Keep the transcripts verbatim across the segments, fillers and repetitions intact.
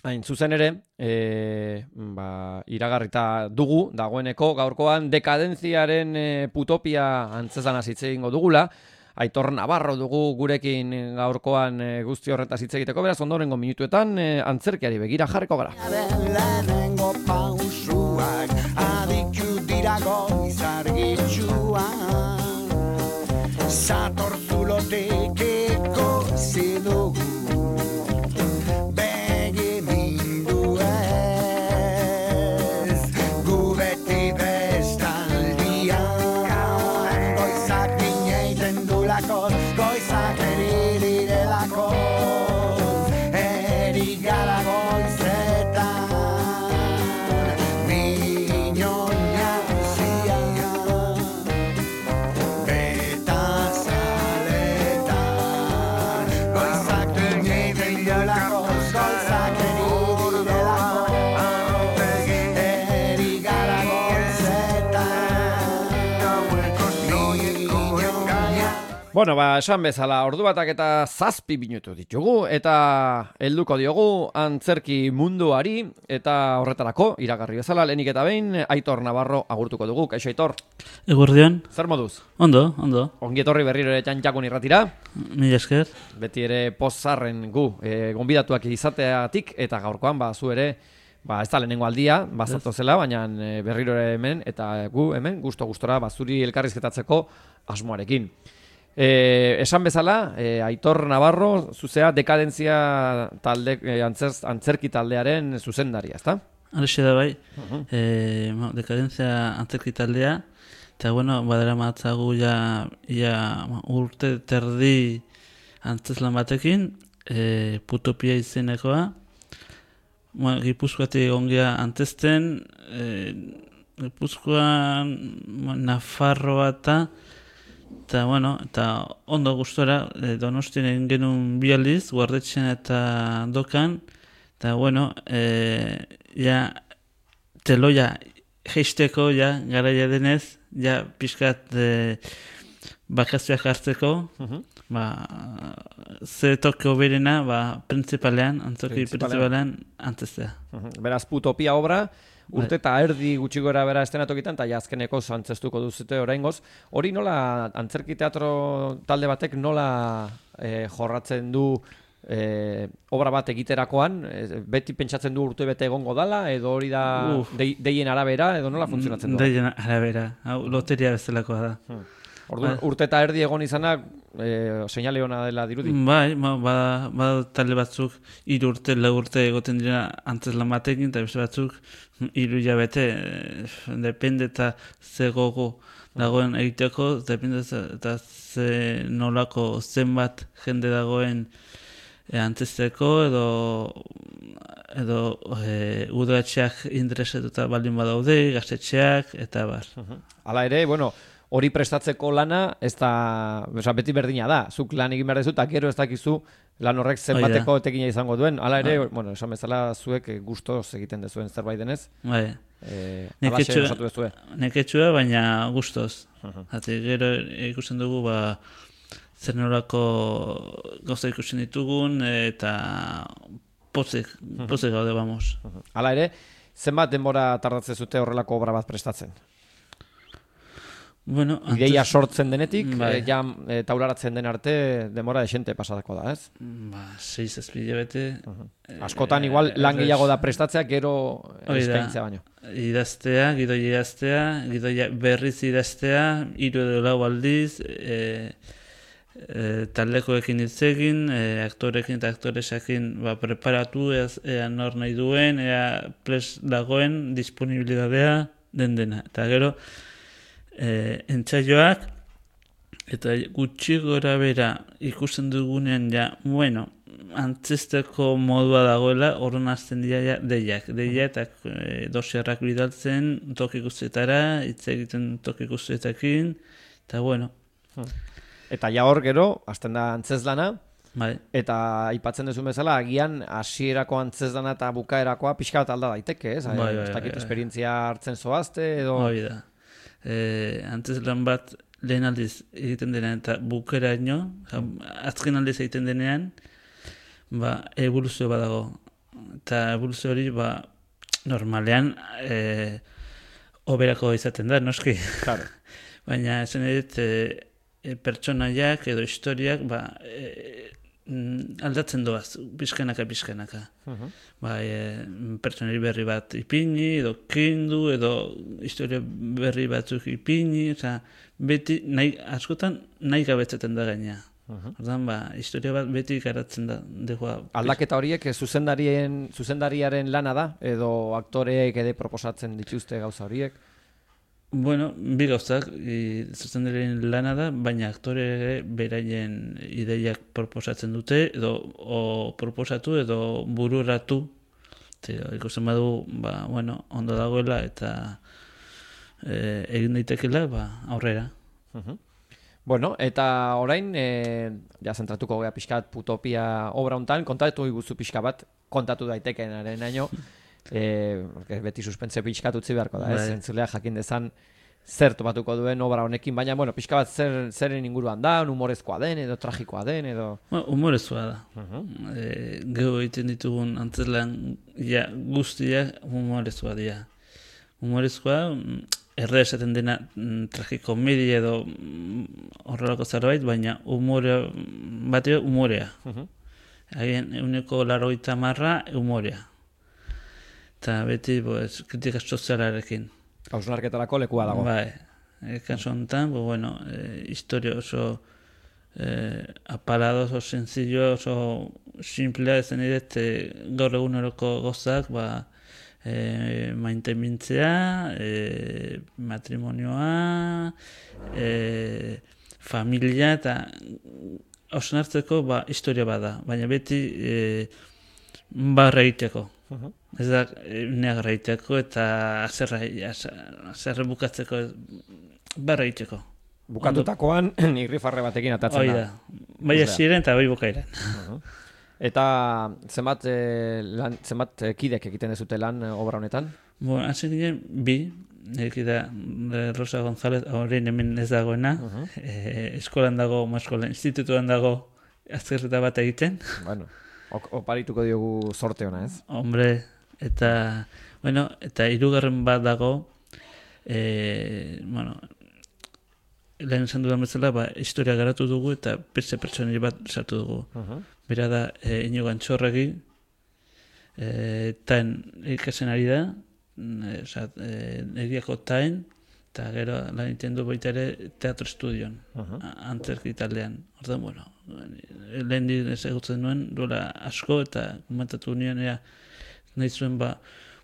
Hain zuzen ere, e, ba, iragarrita dugu, dagoeneko gaurkoan dekadentziaren e, putopia antzezana hitz egingo dugula. Aitor Navarro dugu gurekin gaurkoan e, guzti horretaz hitz egiteko, beraz ondorengo minutuetan e, antzerkiari begira jarriko gara. Lehenengo pausuak aditu dira goizargitxuak Zatorzulotek ikusi dugu Bueno, ba, esan bezala, ordu batak eta zazpi minutu ditugu, eta helduko diogu antzerki munduari, eta horretarako, iragarri bezala, lehenik eta behin, Aitor Navarro agurtuko dugu. Kaixo, Aitor? Eguerdion. Zer moduz? Ondo, ondo. Ongi etorri berriro ere txantxakun irratira. Mila esker. Beti ere pozarren gu, e, gonbidatuak izateatik, eta gaurkoan, ba, zu ere, ba, ez da lehenengo aldia, bazatu zela, baina e, berriro ere hemen, eta gu hemen, gusto-gustora, ba, zuri elkarrizketatzeko asmoarekin. Eh, esan bezala, eh, Aitor Navarro, zuzea dekadentzia talde, eh, antzerz, antzerki taldearen zuzendaria, ezta? Horixe da bai, uh-huh. eh, dekadentzia antzerki taldea, eta bueno, badera matzagu ja, ja urte terdi antzeslan batekin, eh, Putopia izenekoa, bueno, Gipuzkoatik ongia antzesten, eh, Gipuzkoan, Nafarroa eta Eta, bueno, eta ondo gustora, e, Donostien egin genuen bi aldiz, Guardetxean eta Dokan, eta, bueno, e, ja, teloia jeisteko, ja, garaia denez, ja, pixkat e, bakazioak hartzeko, uh-huh. ba, ze toke oberena, ba, principalean, antzerki principalean, antzestea. Uh-huh. Beraz, Putopia obra, urte eta erdi gutxi gora bera estenatokitan, eta azkeneko antzestuko duzute oraingoz. Hori nola, antzerki teatro talde batek nola eh, jorratzen du eh, obra bat egiterakoan, eh, beti pentsatzen du urte bete egongo dala, edo hori da de, deien arabera, edo nola funtzionatzen du? Deien arabera, hau loteria bezalakoa da. Hmm. Ordu, urte eta erdi egon izanak, e, seinale hona dela dirudi? Bai, ba, ba, ba talde batzuk hiru urte, lau urte egoten dira antzeslan batekin, eta beste batzuk hiru hilabete, depende eta ze gogo dagoen egiteko, depende eta ze nolako zenbat jende dagoen e, antzesteko, edo edo e, udaletxeak interesetuta baldin badaude, gaztetxeak, eta bar. Hala ere, bueno, hori prestatzeko lana, ez da, oza, beti berdina da. Zuk lan egin behar dezu, eta gero ez dakizu lan horrek zenbateko etekina izango duen. Hala ere, ah. bueno, esan bezala zuek gustoz egiten dezuen zerbait denez. Bai. Eh, alaxe osatu dezue. Neketxua, baina gustoz. Uh-huh. Hati, gero ikusten dugu, ba, zer norako gauza ikusten ditugun, eta pozik, pozik gaude, vamos. Uh-huh. Hala ere, zenbat denbora tardatzen zute horrelako obra bat prestatzen? Bueno, ideia sortzen denetik, bai. e, ja e, taularatzen den arte demora esente pasatako da, ez? Ba, seiz ezpile bete. Uh-huh. Askotan, igual, e, lan gehiago da prestatzea, gero eskaintzea baino. Idaztea, gidoi idaztea, gidoi berriz idaztea, hiru edo lau aldiz, e, e, taldekoekin hitz egin, e, aktorekin eta aktoresakin ba, preparatu, ez, ea nor nahi duen, ea pres dagoen, disponibilidadea, den dena. Eta gero, E, entzaioak eta gutxi gora bera ikusten dugunean ja, bueno, antzesteko modua dagoela, horren azten dira ja, deiak, deia eta e, dosiarrak bidaltzen toki guztietara, hitz egiten toki guztietakin, eta bueno. Eta ja hor gero, azten da antzezlana, bai. Eta aipatzen duzu bezala, agian hasierako antzezlana eta bukaerakoa pixka bat alda daiteke, ez? Bai, bai, bai, ez dakit bai. esperientzia hartzen zoazte, edo... Hoi da. E, antzeslan bat lehen aldiz egiten denean eta bukeraino, azken aldiz egiten denean, ba, evoluzio badago. eta eboluzio hori, ba, normalean, e, oberako izaten da, noski. Claro. Baina, esan edit, e, e, pertsonaiak edo historiak, ba, e, aldatzen doaz, pixkanaka, pixkanaka. Uh-huh. Ba, e, pertsonari berri bat ipini, edo kendu, edo historia berri batzuk ipini, oza, beti, nahi, askotan, nahi gabetzeten da gaina. Uh-huh. Ordan, ba, historia bat beti garatzen da. Degoa, Aldaketa horiek zuzendarien, zuzendariaren lana da, edo aktoreek ere proposatzen dituzte gauza horiek? Bueno, bi gauzak, zuzendarien lana da, baina aktore ere beraien ideiak proposatzen dute, edo o proposatu edo bururatu. Ikusten badu, ba, bueno, ondo dagoela eta e, egin daitekela, ba, aurrera. Uh-huh. Bueno, eta orain, e, ja zentratuko gea pixkat Putopia obra hontan, kontatu iguzu pixka bat, kontatu daitekenaren aino, e, beti suspense pixkat utzi beharko da, ez? Bai. Entzulea jakin dezan zer topatuko duen obra honekin, baina, bueno, pixka bat zer, zeren inguruan da, humorezkoa den, edo tragikoa den, edo... Ba, humorezkoa da. Uh-huh. E, Gero egiten ditugun antzerlan ja, guztiak humorezkoa dira. Humorezkoa, erre esaten dena mm, tragikomedia edo mm, horrelako zerbait, baina humorea, bateo humorea. Uh-huh. Hagen euneko larogeita marra humorea. Eta beti, pues, kritika sozialarekin. Hausnarketarako lekua dago. Bai, e, kaso honetan, bo, bueno, e, historia oso e, apalado, oso sencillo, oso simplea ezen edet, e, gaur eguneroko gozak, ba, e, maitemintzea, e, matrimonioa, e, familia, eta hausnartzeko, ba, historia bada, baina beti e, barra egiteko. Uh-huh. Ez da, neagra egiteko eta azerre bukatzeko barra egiteko. Bukatutakoan, irrifarre batekin atatzen Hoi da. Bai hasieran eta bai bukaeran. Uh-huh. Eta zenbat, e, lan, zenbat e, kidek egiten dezute lan e, obra honetan? Bueno, hasi ginen bi, eki da Rosa González, horrein hemen ez dagoena, Uh-huh. e, eskolan dago, maskolan, institutuan dago azterreta bat egiten. Bueno, ok, oparituko diogu sorte ona, ez? Hombre, eta, bueno, eta hirugarren bat dago, e, bueno, lehen esan dudan bezala, ba, historia garatu dugu eta beste pertsonari bat sartu dugu. Uh-huh. Bera da, e, Inigo Antxorregi, e, taen ikasen ari da, e, oza, e, egiako taen, eta gero lan egiten du baita ere teatro estudion, Uh-huh. antzerki taldean. Orduan, bueno, lehen di ezagutzen nuen, duela asko, eta komentatu nien, ea, nahi zuen, ba,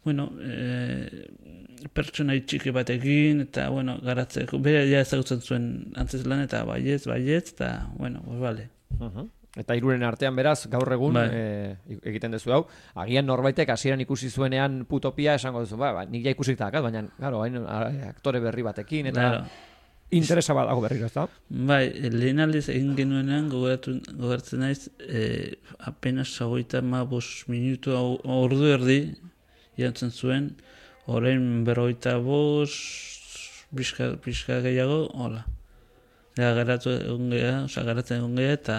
bueno, e, pertsonai txiki batekin, eta, bueno, garatzeko, bera ja ezagutzen zuen antzeslan, eta baietz, baietz, eta, bueno, pues, vale. Uh-huh. Eta hiruren artean beraz, gaur egun Bai. e, egiten duzu hau, agian norbaitek hasieran ikusi zuenean Putopia esango duzu, ba, ba nik ja ikusik dakat, baina, claro, hain a- aktore berri batekin, eta Claro. interesa bat dago berriro, ez da? Bai, lehen aldiz egin genuenean gogoratu, gogoratzen naiz, e, apenas hogeita hamabost minutu au- ordu erdi jantzen zuen, orain berrogeita bost, pixka, pixka gehiago, hola. Ja, garatu egon geha, oza, garatzen egon geha, eta,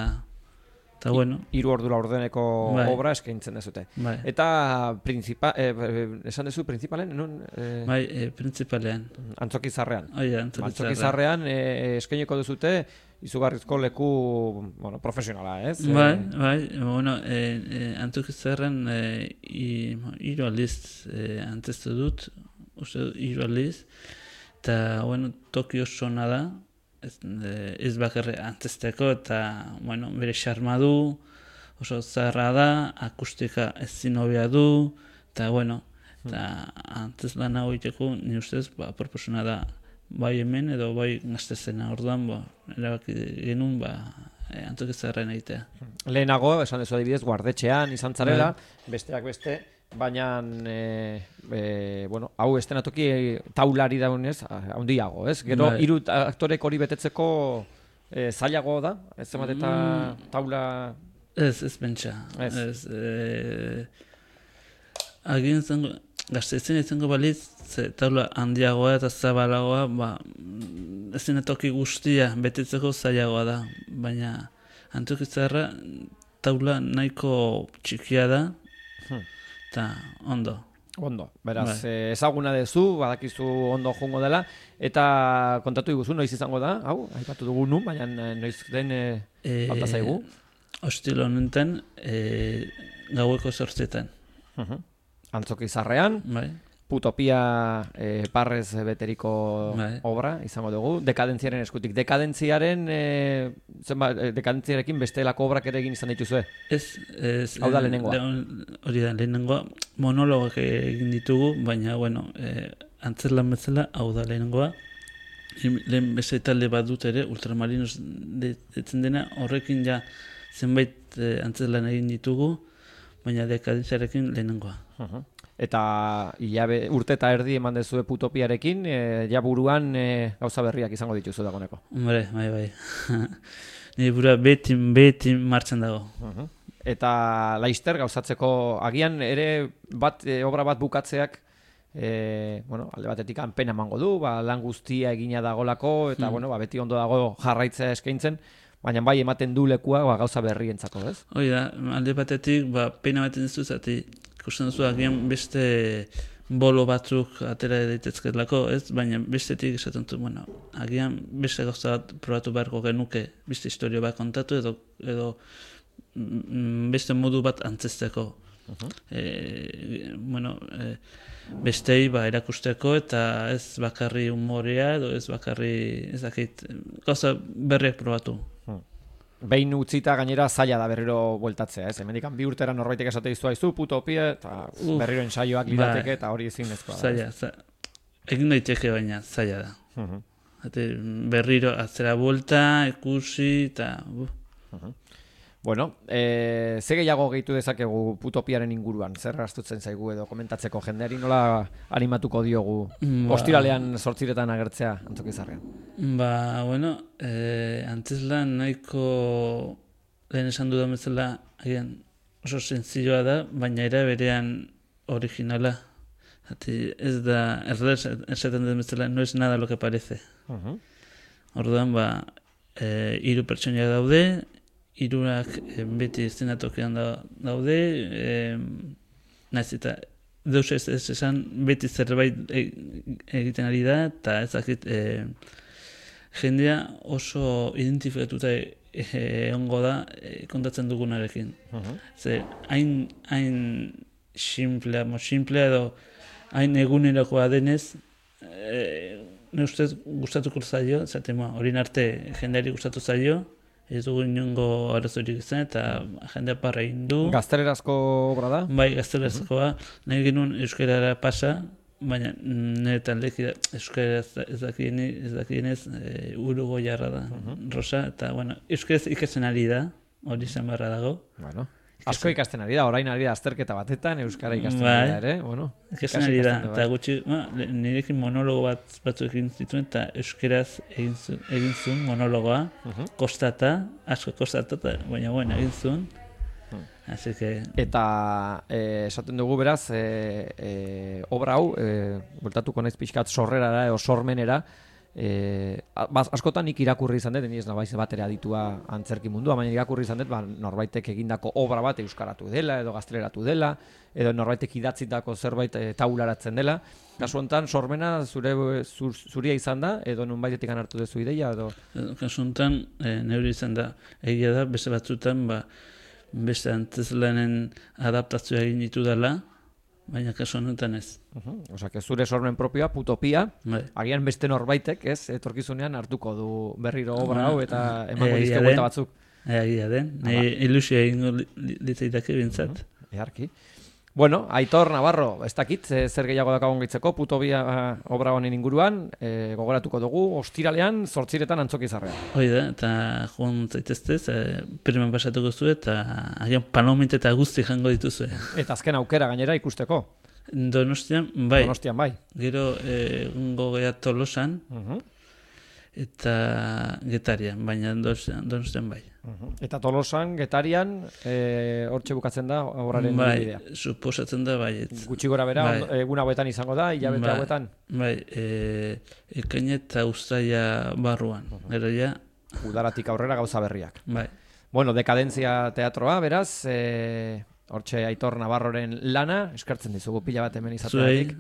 eta bueno, Hiru ordura ordeneko Bai. obra eskaintzen dezute. bai, Eta principa, eh, eh, esan duzu principalen, non? Eh, bai, e, principalean. Antzokizarrean. Oia, antzokizarra. Antzokizarrean eh, eskaineko duzute izugarrizko leku, bueno, profesionala, ez? Bai, Eh, bai, bueno, e, e, antzokizarren e, i- hiru aldiz e, antzestu dut, uste dut hiru aldiz, eta, bueno, Tokio oso ona da, ez, e, ez bakarre antzesteko, eta, bueno, bere xarma du, oso zaharra da, akustika ezin hobea du, eta, bueno, eta antzez lan hau egiteko, ni ustez, ba, proposuna da, bai hemen edo bai gaztezena, orduan, ba, erabaki genuen, ba, e, antzokizarren egitea. Lehenago, esan dezu adibidez, guardetxean izan zarela, Bai. besteak beste, baina, e, e, bueno, hau estenatoki taulari daunez, handiago, ez? Gero, Bai. hiru aktorek hori betetzeko e, zailago da, ez zenbat eta Mm. taula... Ez, ez pentsa. Ez. Ez. E, Agin zengo, gaztetzen izango balitz, ze taula handiagoa eta zabalagoa, ba, ezin toki guztia betetzeko zailagoa da. Baina antzokizarra taula nahiko txikia da, Hmm. eta ondo. Ondo, beraz, Bai. eh, ezaguna dezu, badakizu ondo jongo dela, eta kontatu diguzu, noiz izango da, hau, aipatu dugu nun, baina eh, noiz den e, E, falta zaigu. Ostil honetan, e, gaueko zortzietan. Uh-huh. Antzoki Zarrean, Bai. Putopia e, parrez beteriko Bai. obra izango dugu, dekadentziaren eskutik. Dekadentziaren, e, zenbat, e, dekadentziarekin bestelako obrak ere egin izan dituzue? Ez, ez, Hau da eh, lehenengoa. lehon- Hori da, lehenengoa monologak egin ditugu, baina, bueno, eh, antzerlan bezala, hau da lehenengoa. Lehen lehen beste talde bat dut ere, Ultramarinos detzen dena, horrekin ja zenbait eh, antzerlan egin ditugu, baina dekadentziarekin lehenengoa. Uh-huh. Eta hilabe, urte eta erdi eman dezue Putopiarekin, e, ja buruan e, gauza berriak izango dituzu dagoeneko. Hombre, bai, bai. Nire bura beti, beti martxan dago. Uh-huh. Eta laister gauzatzeko agian ere bat e, obra bat bukatzeak e, bueno, alde batetik pena emango du, ba, lan guztia egina dagolako eta Hmm. bueno, ba, beti ondo dago jarraitzea eskaintzen, baina bai ematen du lekua ba, gauza berrientzako, ez? Hoi da, alde batetik, ba, pena baten duzu, zati, ikusten duzu agian beste bolo batzuk atera daitezkeelako, ez? Baina bestetik esaten du, bueno, agian beste gauza bat probatu beharko genuke, beste historio bat kontatu edo, edo mm, beste modu bat antzesteko. Uh-huh. E, bueno, e, bestei ba, erakusteko eta ez bakarri humorea edo ez bakarri, ez dakit, gauza berriak probatu. Behin utzita gainera zaila da berriro bueltatzea, ez? Hemendikan bi urtera norbaitek esate dizu aizu Putopia eta Uf, berriro ensaioak bai. lirateke eta hori ezinezkoa da. Zaila, za, egin daiteke baina zaila da. Uh-huh. Ate, berriro atzera buelta, ikusi eta... Uh. Uh-huh. Bueno, e, ze gehiago gehitu dezakegu Putopiaren inguruan? Zer astutzen zaigu edo komentatzeko jendeari nola animatuko diogu Ba. ostiralean zortziretan agertzea Antzoki Zarrean? Ba, bueno, eh, antzeslan nahiko lehen esan dudan bezala agian oso sentzioa da, baina era berean originala. Ati, ez da, erraz esaten den bezala, no es nada lo que parece. Uh-huh. Orduan, ba, eh, hiru pertsonak daude, hirurak eh, beti eszenatokian da, daude, eh, naiz eta deus ez, ez esan beti zerbait e, egiten ari da, eta ez dakit eh, jendea oso identifikatuta egongo da eh, kontatzen dugunarekin. Uh-huh. Ze, hain, hain simplea, mo simplea edo hain egunerakoa denez, eh, ne ustez gustatuko zaio, zaten hori arte jendeari gustatu zaio, ez dugu inongo arazorik izan eta jendea parra egin du. Gaztelerazko obra da? Bai, gaztelezkoa, nahi genuen euskarara pasa, baina nire taldeki euskaraz ez dakienez, ez dakienez e, uruguaiarra da, Rosa, eta bueno, euskaraz ikasten ari da, hori izan barra dago. Bueno, asko ikasten ari da, orain ari da azterketa batetan, euskara ikasten Bai. ari da ere, bueno. Ikasten ikasi ari da, ikasten du, eta bai. gutxi, ba, le- nirekin monologo bat batzuk egin zituen, eta euskaraz egin zu- egin zuen monologoa, Mhm. kostata, asko kostata, eta- baina bueno, egin zuen. Así que, Eta eh, esaten dugu beraz, eh, eh, obra hau, eh, bueltatuko naiz pixkat sorrerara edo sormenera, eh, baz, askotan nik irakurri izan dut, ni ez nabaiz bat ere aditua antzerki mundua, baina irakurri izan dut, ba, norbaitek egindako obra bat euskaratu dela, edo gazteleratu dela, edo norbaitek idatzitako zerbait e, taularatzen dela. Kasu honetan, sormena zure, zur, zuria izan da, edo nonbaitetik hartu duzu ideia, edo... kasu honetan, e, neure izan da, egia da, beste batzutan, ba, beste antzeslanen adaptazioa egin ditu dela, baina kasu honetan ez. Uh-huh. Osa, que zure sormen propioa, Putopia, Bai. agian beste norbaitek, ez, etorkizunean hartuko du berriro obra hau eta emango Egia dizke den. buelta batzuk. Egia den, nahi ilusioa egingo li- li- litzaidake bintzat. Eharki. Bueno, Aitor Navarro, ez dakit, eh, zer gehiago dakagun gaitzeko, Putopia eh, obra honen inguruan, eh, gogoratuko dugu, ostiralean, zortziretan Antzoki Zarrean. Hoi da, eta joan zaiteztez, e, priman pasatuko zuen, eta agian panomet eta guzti jango dituzue. Eta azken aukera gainera ikusteko, Donostian, bai, Donostian bai. gero egungo gea Tolosan, Uh-huh. eta Getarian, baina Donostian, Donostian bai. Uh-huh. Eta Tolosan, Getarian, eh, hortxe bukatzen da obraren Bai, bidea. suposatzen da baietz. Gutxi gora bera, Bai. ondo- egun hauetan izango da, hilabete Bai. hauetan, Bai, e, ekaina eta uztaila barruan. Gero ja, udaratik aurrera gauza berriak. bai. Bueno, Dekadentzia teatroa, beraz, eh, Hortxe Aitor Navarroren lana, eskertzen dizugu pila bat hemen izateatik.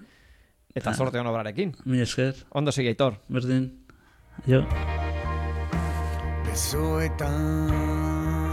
Eta sorte hon obrarekin. Mi esker. Ondo segi Aitor. Berdin. Jo. Besoetan